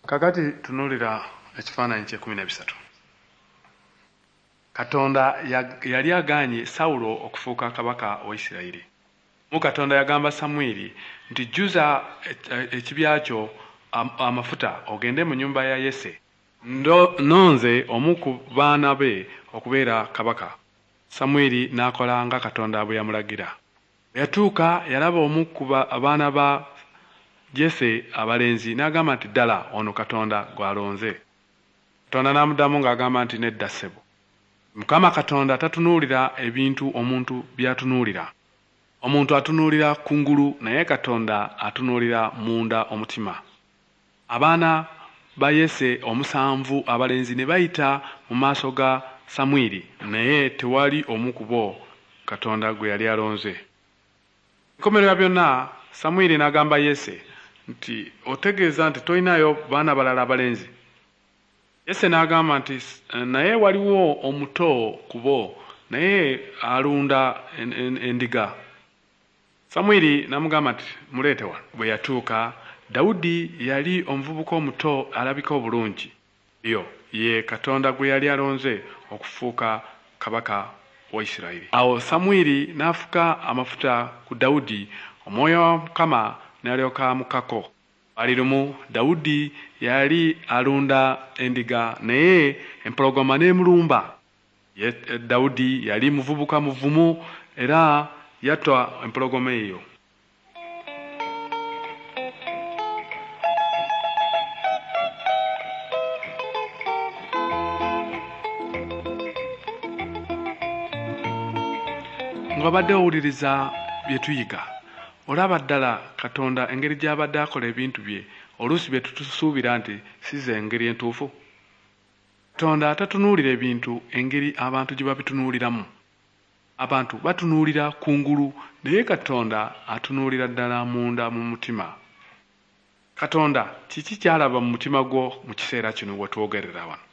Kakati tunuulira ekifaananyi ky'ekkumi n'ebisatu. Katonda yali agaanye Sawulo okufuuka kabaka wa Isirayiri. Mu Katonda yagamba Samwiri nti, Jjuza ekibya kyo amafuta ogende mu nnyumba ya Yese. Nnonze omu ku baana be okubeera kabaka. Samwiri n'akola nga Katonda bwe yamulagira. Bwe yatuuka yalaba omu ku baana ba Jese abalenzi n'agamba nti, Ddala ono Katonda gw'alonze. Katonda n'amuddamu ng'agamba nti, Nedda ssebo. Mukama Katonda tatunuulira ebintu omuntu by'atunuulira. Omuntu atunuulira kungulu naye Katonda atunuulira munda omutima. Abaana ba Yese omusanvu abalenzi ne bayita mu maaso ga Samwiri naye tewali omu ku bo Katonda gwe yali alonze. Enkomerero ya byonna Samwiri n'agamba Yese nti, Otegeeza nti tolinayo baana balala abalenzi? Yese n'agamba nti, Naye waliwo omuto ku bo naye alunda endiga. Samwiri n'amugamba nti, Muleete wano. Bwe yatuuka, Dawudi yali omuvubuka omuto alabika obulungi. Oyo ye Katonda gwe yali alonze okufuuka kabaka wa Isirayiri. Awo Samwiri n'afuka amafuta ku Dawudi, omwoyo wa Mukama n'alyoka amukkako. Lwali lumu Dawudi yali alunda endiga naye empologoma n'emulumba. Dawudi yali muvubuka muvumu era yatta empologoma eyo. Ng'obadde owuliriza bye tuyiga, olaba ddala Katonda engeri gy'abadde akola ebintu bye oluusi bye tutusuubira nti si ze ngeri entuufu. Katonda tatunuulira ebintu engeri abantu gye babitunuuliramu. Abantu batunuulira kungulu naye Katonda atunuulira ddala munda mu mutima. Katonda kiki ky'alaba mu mutima gwo mu kiseera kino we twogerera wano?